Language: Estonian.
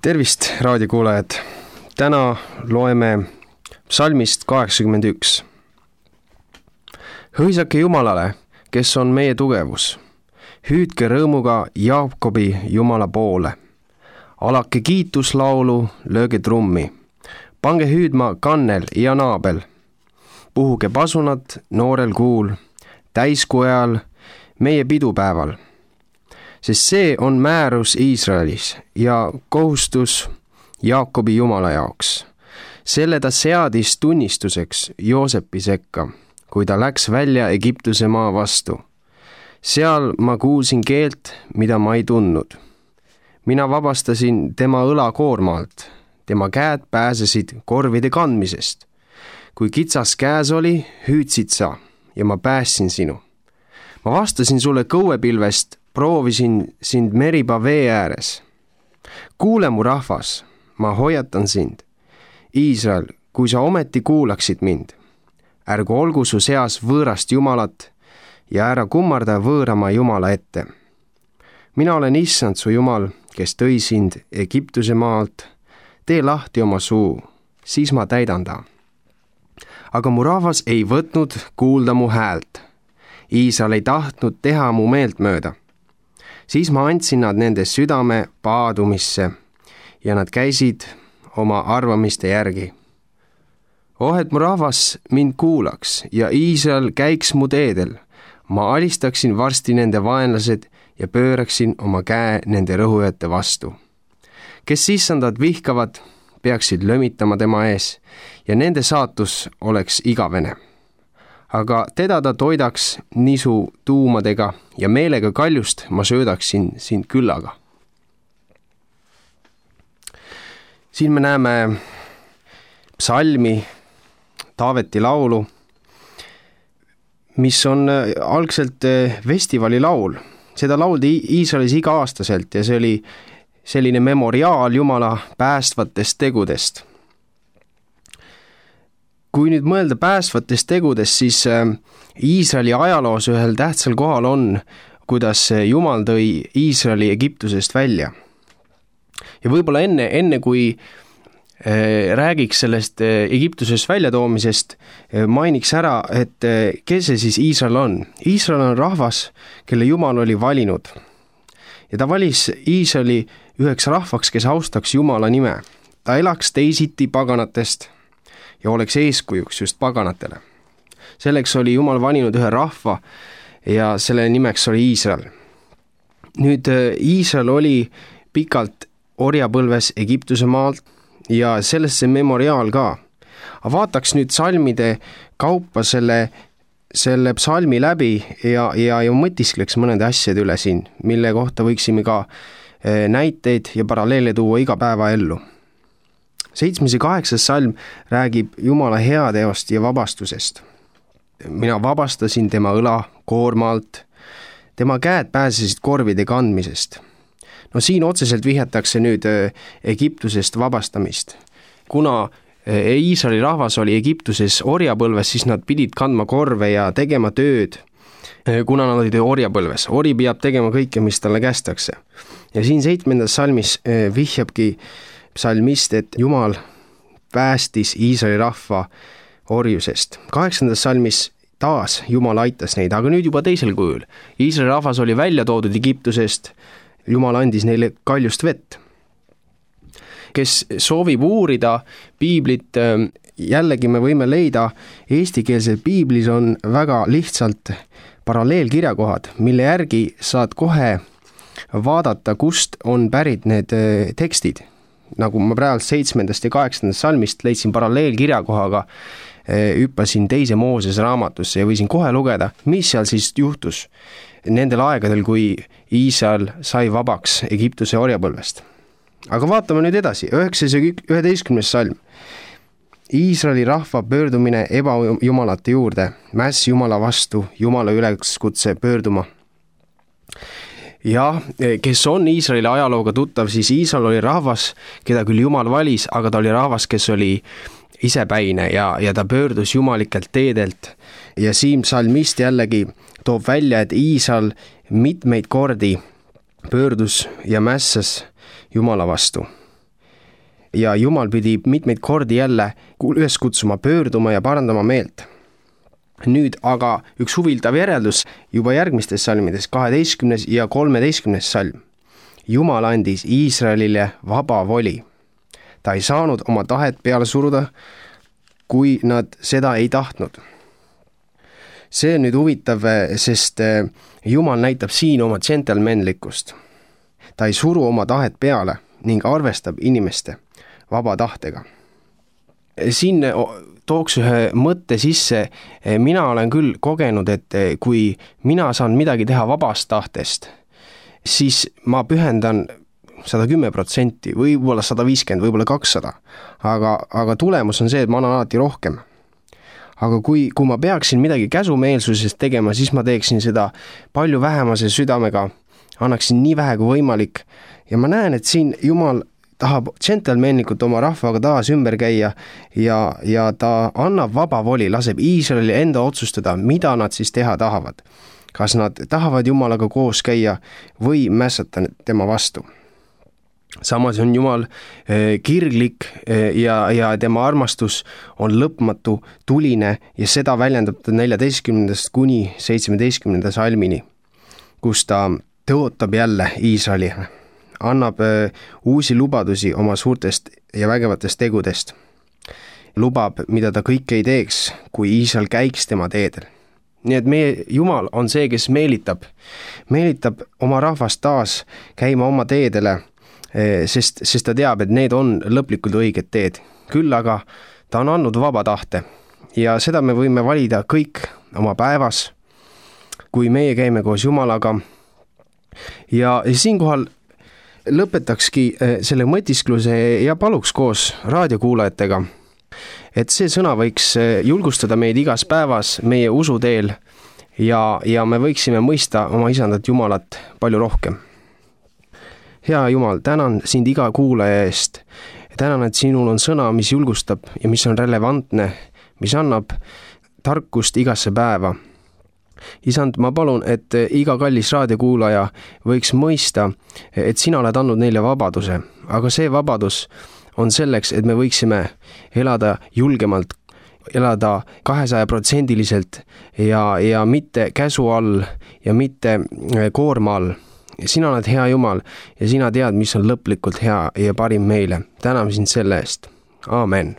Tervist, raadiokuulajad! Täna loeme psalmist 81. Hõisake Jumalale, kes on meie tugevus. Hüüdke rõõmuga Jaakobi Jumala poole. Alake kiituslaulu, lööge trummi. Pange hüüdma kannel ja naabel. Puhuge pasunat noorel kuul, täiskuu ajal, meie pidupäeval. Sest see on määrus Iisraelis ja kohustus Jaakobi Jumala jaoks. Selle ta seadis tunnistuseks Joosepi sekka, kui ta läks välja Egiptuse maa vastu. Seal ma kuulsin keelt, mida ma ei tundnud. Mina vabastasin tema õlakoormalt, tema käed pääsesid korvide kandmisest. Kui kitsas käes oli, hüüdsid sa ja ma päästsin sinu. Ma vastasin sulle kõuepilvest, proovisin sind Meriba vee ääres. Kuule mu rahvas, ma hoiatan sind. Iisrael, kui sa ometi kuulaksid mind. Ärgu olgu su seas võõrast Jumalat ja ära kummarda võõrama Jumala ette. Mina olen issand su Jumal, kes tõi sind Egiptuse maalt. Tee lahti oma suu, siis ma täidan ta. Aga mu rahvas ei võtnud kuulda mu häält. Iisrael ei tahtnud teha mu meelt mööda. Siis ma andsin nad nende südame paadumisse ja nad käisid oma arvamiste järgi. Et mu rahvas mind kuulaks ja Iisrael käiks mu teedel. Ma alistaksin varsti nende vaenlased ja pööraksin oma käe nende rõhujate vastu. Kes issandat vihkavad, peaksid lömitama tema ees ja nende saatus oleks igavene. Aga teda ta toidaks nisu tuumadega ja meelega kaljust ma söödaksin sind küllaga. Siin me näeme psalmi, Taaveti laulu, mis on algselt festivali laul. Seda lauldi Iisraelis iga-aastaselt ja see oli selline memoriaal Jumala päästvatest tegudest. Kui nüüd mõelda päästvatest tegudest, siis Iisraeli ajaloos ühel tähtsal kohal on, kuidas Jumal tõi Iisraeli Egiptusest välja. Ja võib-olla enne kui räägiks sellest Egiptusest väljatoomisest, mainiks ära, et kes see siis Iisrael on. Iisrael on rahvas, kelle Jumal oli valinud. Ja ta valis Iisraeli üheks rahvaks, kes austaks Jumala nime. Ta elaks teisiti paganatest ja oleks eeskujuks just paganatele. Selleks oli Jumal valinud ühe rahva ja selle nimeks oli Iisrael. Nüüd Iisrael oli pikalt orjapõlves Egiptuse maalt ja sellest see memoriaal ka. Aga vaataks nüüd psalmide kaupa selle psalmi läbi ja mõtiskleks mõnede asjade üle siin, mille kohta võiksime ka näiteid ja paralleele tuua iga päeva ellu. 7. ja 8. salm räägib Jumala heateost ja vabastusest. Mina vabastasin tema õla koormalt, tema käed pääsesid korvide kandmisest. No siin otseselt vihjatakse nüüd Egiptusest vabastamist. Kuna Iisraeli rahvas oli Egiptuses orjapõlves, siis nad pidid kandma korve ja tegema tööd, kuna nad olid orjapõlves. Ori peab tegema kõike, mis talle kästakse. Ja siin 7. salmis vihjabki psalmist, et Jumal päästis Iisraeli rahva orjusest. 8. salmis taas Jumal aitas neid, aga nüüd juba teisel kujul. Iisraeli rahvas oli välja toodud Egiptusest, Jumal andis neile kaljust vett. Kes soovib uurida piiblit, jällegi me võime leida, eestikeelses piiblis on väga lihtsalt paralleelkirjakohad, mille järgi saad kohe vaadata, kust on pärit need tekstid. Nagu ma praegu 7. ja 8. salmist leidsin paralleelkirjakohaga, hüppasin 2. Mooses raamatusse ja võisin kohe lugeda, mis seal siis juhtus nendel aegadel, kui Iisrael sai vabaks Egiptuse orjapõlvest. Aga vaatame nüüd edasi, 9. ja 11. salm. Iisraeli rahva pöördumine ebajumalate juurde, mäss Jumala vastu, Jumala üleskutse pöörduma. Ja kes on Iisraeli ajalooga tuttav, siis Iisrael oli rahvas, keda küll Jumal valis, aga ta oli rahvas, kes oli isepäine ja ta pöördus jumalikelt teedelt. Ja siin psalmist jällegi toob välja, et Iisrael mitmeid kordi pöördus ja mässas Jumala vastu. ja Jumal pidi mitmeid kordi jälle üles kutsuma, pöörduma ja parandama meelt. Nüüd aga üks huvitav järeldus juba järgmistes salmides, 12. ja 13. salm. Jumal andis Iisraelile vaba voli. Ta ei saanud oma tahet peale suruda, kui nad seda ei tahtnud. See on nüüd huvitav, sest Jumal näitab siin oma džentelmenlikkust. Ta ei suru oma tahet peale ning arvestab inimeste vaba tahtega. Siin tooks ühe mõtte sisse, mina olen küll kogenud, et kui mina saan midagi teha vabast tahtest, siis ma pühendan 110%, võib-olla 150, võib-olla 200, aga tulemus on see, et ma annan alati rohkem. Aga kui ma peaksin midagi käsumeelsusest tegema, siis ma teeksin seda palju vähemase südamega, annaksin nii vähe kui võimalik ja ma näen, et siin Jumal tahab džentelmenlikult oma rahvaga taas ümber käia ja ta annab vaba voli, laseb Iisraeli enda otsustada, mida nad siis teha tahavad. Kas nad tahavad Jumalaga koos käia või mässata tema vastu. Samas on Jumal kirglik ja tema armastus on lõpmatu, tuline ja seda väljendab ta 14. kuni 17. salmini, kus ta tõotab jälle Iisraeli, annab uusi lubadusi oma suurtest ja vägevatest tegudest. Lubab, mida ta kõik ei teeks, kui Iisrael käiks tema teedel. Nii et meie Jumal on see, kes meelitab oma rahvast taas käima oma teedele, sest ta teab, et need on lõplikult õiged teed. Küll aga ta on andnud vaba tahte ja seda me võime valida kõik oma päevas, kui meie käime koos Jumalaga. Ja siinkohal lõpetakski selle mõtiskluse ja paluks koos raadiokuulajatega, et see sõna võiks julgustada meid igas päevas meie usuteel ja me võiksime mõista oma isandat Jumalat palju rohkem. Hea Jumal, tänan sind iga kuulaja eest. Tänan, et sinul on sõna, mis julgustab ja mis on relevantne, mis annab tarkust igasse päeva. Isand, ma palun, et iga kallis raadiokuulaja võiks mõista, et sina oled andnud neile vabaduse, aga see vabadus on selleks, et me võiksime elada julgemalt, elada 200% ja mitte käsu all ja mitte koorma all. Sina oled hea Jumal ja sina tead, mis on lõplikult hea ja parim meile. Täname sind selle eest. Aamen.